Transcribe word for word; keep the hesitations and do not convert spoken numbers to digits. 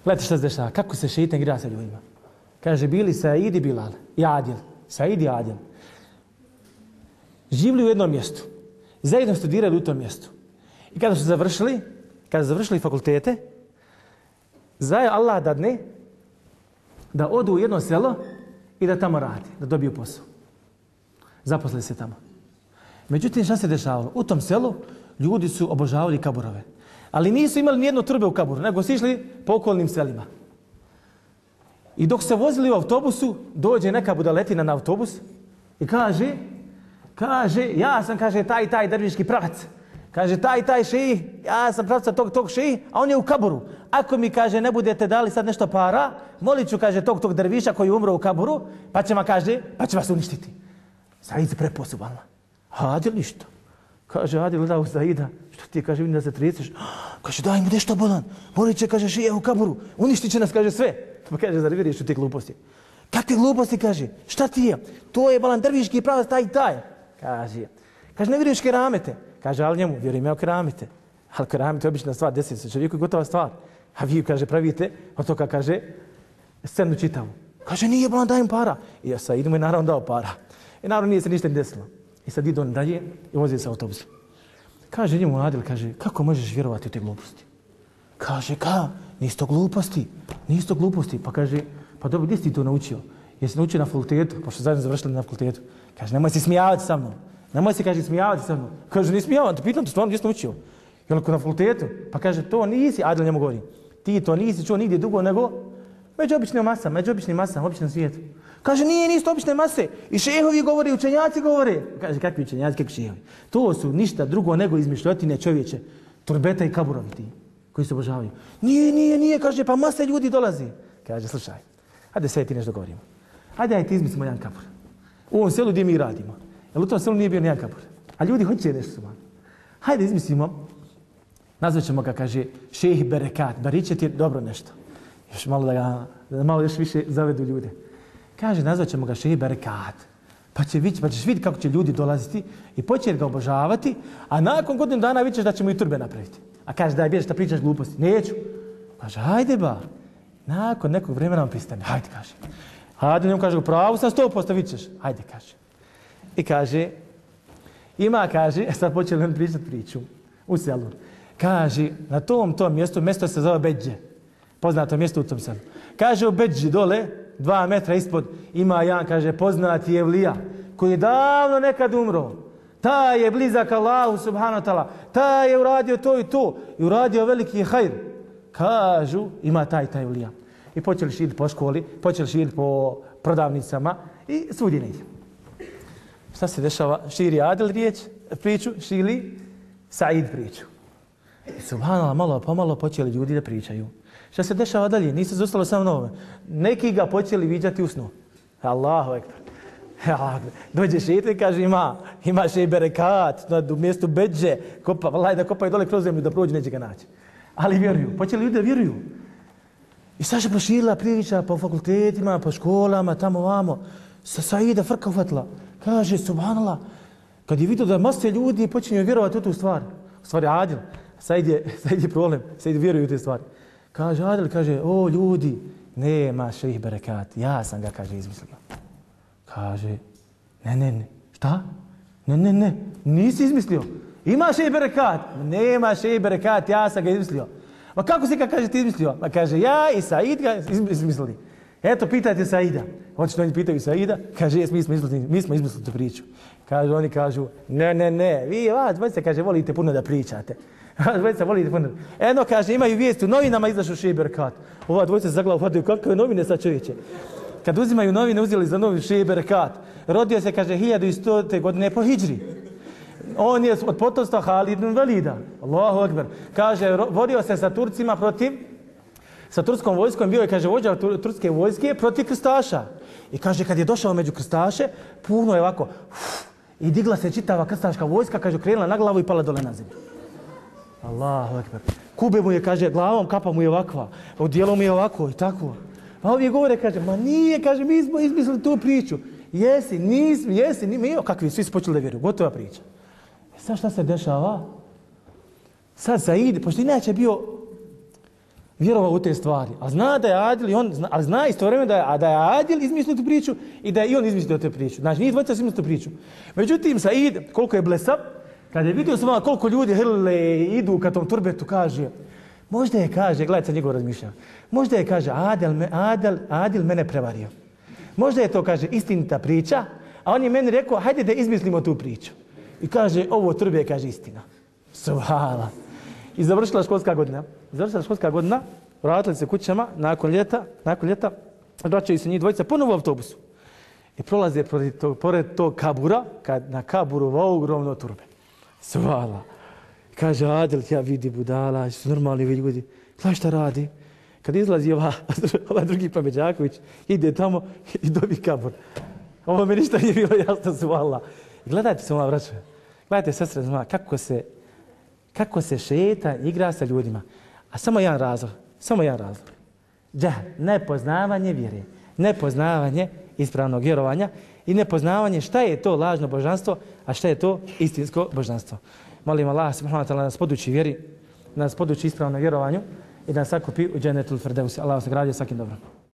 Gledajte šta se dešava, kako se šeitan igra sa ljudima. Kaže, bili Said i Bilal, i Adil, Said i Adil. Živli u jednom mjestu, zajedno studirali u tom mjestu. I kada su završili, kada su završili fakultete, zaje Allah dadne da odu u jedno selo i da tamo radi, da dobiju posao. Zaposlili se tamo. Međutim, šta se dešavalo? U tom selu ljudi su obožavali kaburove. Ali nisu imali nijedno trbe u kaburu, nego su išli po okolnim selima. I dok se vozili u autobusu, dođe neka budaletina na autobus i kaže, kaže, ja sam, kaže, taj, taj derviški pravac. Kaže, taj, taj šejih, ja sam pravca tog, tog šejih, a on je u kaburu. Ako mi, kaže, ne budete dali sad nešto para, molit ću, kaže, tog, tog derviša koji je umro u kaburu, pa će vam, kaže, pa će vas uništiti. Said se preposubalno. Adil ništa. Kaže, Adil gleda u Saida, što ti, kaže, vidim da se treseš. Kaže, daj mu nešto bolan. Molit će, kaže, šejih u kaburu, uništit će nas, kaže, sve. Pa kaže, zar vjeriš u te gluposti? Kakve gluposti, kaže, šta ti je? To je balan derviški pravac, taj i taj. Kaže, kaže, ne vjeruješ keramete? Kaže, ali njemu, vjerujem ja u keramete. Ali keramete je obična stvar, desi se čovjeku i gotova stvar. A vi, kaže, pravite, od toga, kaže, scenu čitavu. Kaže, nije balan, daj im para. I ja sad idemo i naravno dao para. I naravno nije se ništa ni desilo. I sad idu on dalje i vozi se autobusom. Kaže njemu Adil, kaže, kako možeš vjerovati u te gluposti? Kaže, ka, nisi to gluposti, nisi to gluposti. Pa kaže, pa dobro, gdje si ti to naučio? Jesi naučio na fakultetu, pošto zajedno završili na fakultetu. Kaže, nemoj se smijavati sa mnom. Nemoj se, kaže, smijavati sa mnom. Kaže, nisi smijavan, te pitam te stvarno gdje si naučio? I onako na fakultetu. Pa kaže, to nisi, Adil njemu govori, ti to nisi čuo nigdje dugo nego među običnim masama, među običnim masama, običnom svijetu. Kaže, nije, nisu obične mase. I šehovi govore, učenjaci govore. Kaže, kakvi učenjaci, kakvi šehovi? To su ništa drugo nego izmišljotine čovječe. Turbeta i kaburovi ti, koji se obožavaju. Nije, nije, nije, kaže, pa masa ljudi dolazi. Kaže, slušaj, hajde sve ti nešto govorimo. Hajde, hajde, izmislimo jedan kabur. U ovom selu gdje mi radimo. Jer u tom selu nije bio nijedan kabur. A ljudi hoće nešto su man. Hajde, izmislimo. Nazvat ćemo ga, kaže, šejh Berekat. Baričet je dobro nešto. Još malo da ga, da malo još više zavedu ljude. Kaže, nazvat ćemo ga šejh Berekat. Pa, će vići, pa ćeš vidjeti kako će ljudi dolaziti i početi ga obožavati, a nakon godinu dana vidiš da ćemo i turbe napraviti. A kaže, daj, bježi šta pričaš gluposti. Neću. Kaže, hajde ba. Nakon nekog vremena on pristane. Hajde, kaže. Hajde, njemu kaže, pravu sam sto posto vidit ćeš. Hajde, kaže. I kaže, ima, kaže, sad počeli on pričati priču u selu. Kaže, na tom tom mjestu, mjesto se zove Bedže. Poznato mjesto u tom selu. Kaže, u Bedži dole, dva metra ispod, ima jedan, kaže, poznati evlija, koji je davno nekad umro. Taj je blizak Allahu subhanahu wa ta'ala. Taj je uradio to i to. I uradio veliki hajr. Kažu, ima taj taj evlija. I počeli širiti po školi, počeli širiti po prodavnicama i svudje ne ide. Šta se dešava? Širi Adil riječ, priču, širi Said priču. I subhanallah, malo pomalo počeli ljudi da pričaju. Šta se dešava dalje? Nisu zostalo samo nove. Neki ga počeli viđati u snu. Allahu ekber. Dođe šeitan i kaže, ima, ima šejh Berekat na mjestu Bedže. Kopa, valaj da kopaju dole kroz zemlju da prođu, neće ga naći. Ali vjeruju. Počeli ljudi da vjeruju. I sad se proširila priča po fakultetima, po školama, tamo vamo. Sa Saida frka ufatila. Kaže, subhanallah, kad je vidio da mase ljudi počinju vjerovati u tu stvar. U stvari Adil. Said je, Said je problem. Said vjeruju u te stvari. Kaže Adil, kaže, o ljudi, nema šejh Berekat. Ja sam ga, kaže, izmislio. Kaže, ne, ne, ne. Šta? Ne, ne, ne. Nisi izmislio. Ima šejh Berekat. Nema šejh Berekat, ja sam ga izmislio. Ma kako si ga, kaže, ti izmislio? Ma kaže, ja i Said ga izmislili. Eto, pitajte Saida. Očito oni pitaju Saida. Kaže, jes, mi smo izmislili, mi smo izmislili tu priču. Kaže, oni kažu, ne, ne, ne. Vi, vas, dvojice, kaže, volite puno da pričate. Vas, dvojice, volite puno. Eno, kaže, imaju vijesti, u novinama izašao šejh Berekat. Ova dvojica za glavu hvataju, kakve novine sad čovječe. Kad uzimaju novine, uzeli za novi šejh Berekat. Rodio se, kaže, hiljadu stote godine po hidžri. On je od potomstva Halid ibn Velida. Allahu ekber. Kaže, vodio se sa Turcima protiv, sa turskom vojskom, bio je, kaže, vođa turske vojske protiv krstaša. I kaže, kad je došao među krstaše, puno je ovako, uf, i digla se čitava krstaška vojska, kaže, krenula na glavu i pala dole na zemlju. Allahu ekber. Kube mu je, kaže, glavom, kapa mu je ovakva, odijelo mu je ovako i tako. A ovi govore, kaže, ma nije, kaže, mi smo izmislili tu priču. Jesi, nismo, jesi, mi, kakvi, svi su počeli da vjeruju, gotova priča. Sad šta se dešava? Sad Said, pošto inače bio vjerovao u te stvari. A zna da je Adil, i on, zna, ali zna istovremeno da je, da je Adil izmislio tu priču i da je i on izmislio tu priču. Znači, nije dvojica izmislio tu priču. Međutim, Said, koliko je blesav, kad je vidio sam koliko ljudi hrle idu ka tom turbetu, kaže, možda je, kaže, gledajte njegov razmišljanje, možda je, kaže, Adil, me, Adil, Adil mene prevario. Možda je to, kaže, istinita priča, a on je meni rekao, hajde da izmislimo tu priču. I kaže, ovo turbe, kaže, istina. Subhala. I završila školska godina. Završila školska godina, vratili se kućama, nakon ljeta, nakon ljeta, vraćaju se njih dvojica ponovo u autobusu. I prolaze pored tog, pored tog kabura, kad na kaburu ogromno turbe. Subhala. Kaže, Adil, ja vidi budala, su normalni ljudi. Znaš šta radi? Kad izlazi ova, ova drugi Pameđaković, ide tamo i dobi kabur. Ovo mi ništa nije bilo jasno, subhala. Gledajte se, moja braća. Gledajte, sestre, zna, kako se, kako se šeta igra sa ljudima. A samo jedan razlog, samo jedan razlog. Džahl, nepoznavanje vjere, nepoznavanje ispravnog vjerovanja i nepoznavanje šta je to lažno božanstvo, a šta je to istinsko božanstvo. Molim Allah subhanahu wa ta'ala nas poduči vjeri, nas poduči ispravnom vjerovanju i da nas sakupi u džennetul firdevsi. Allah vas nagradio svakim dobrom.